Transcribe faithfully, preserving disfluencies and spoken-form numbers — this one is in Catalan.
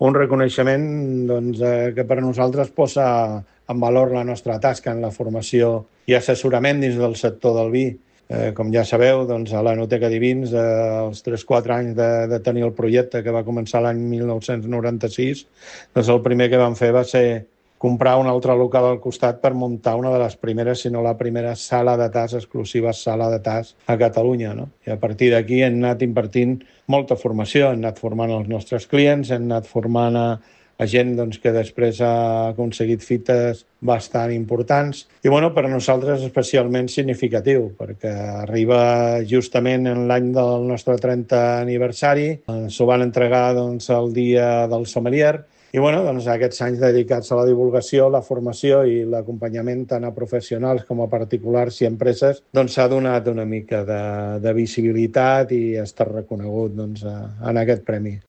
un reconeixement doncs, eh, que per a nosaltres posa en valor la nostra tasca en la formació i assessorament dins del sector del vi. Eh, com ja sabeu, doncs, a l'Enoteca Divins, eh, els tres quatre anys de, de tenir el projecte, que va començar l'any mil nou-cents noranta-sis, doncs el primer que vam fer va ser comprar un altre local al costat per muntar una de les primeres, si no la primera, sala de tas, exclusiva sala de tas a Catalunya, no? I a partir d'aquí hem anat impartint molta formació, hem anat formant els nostres clients, hem anat formant a, a gent doncs, que després ha aconseguit fites bastant importants. I bueno, per a nosaltres especialment significatiu, perquè arriba justament en l'any del nostre trentè aniversari, ens ho van entregar doncs, el dia del sommelier. I bueno, doncs, aquests anys dedicats a la divulgació, la formació i l'acompanyament tant a professionals com a particulars i empreses, doncs s'ha donat una mica de, de visibilitat i ha estat reconegut doncs, en aquest premi.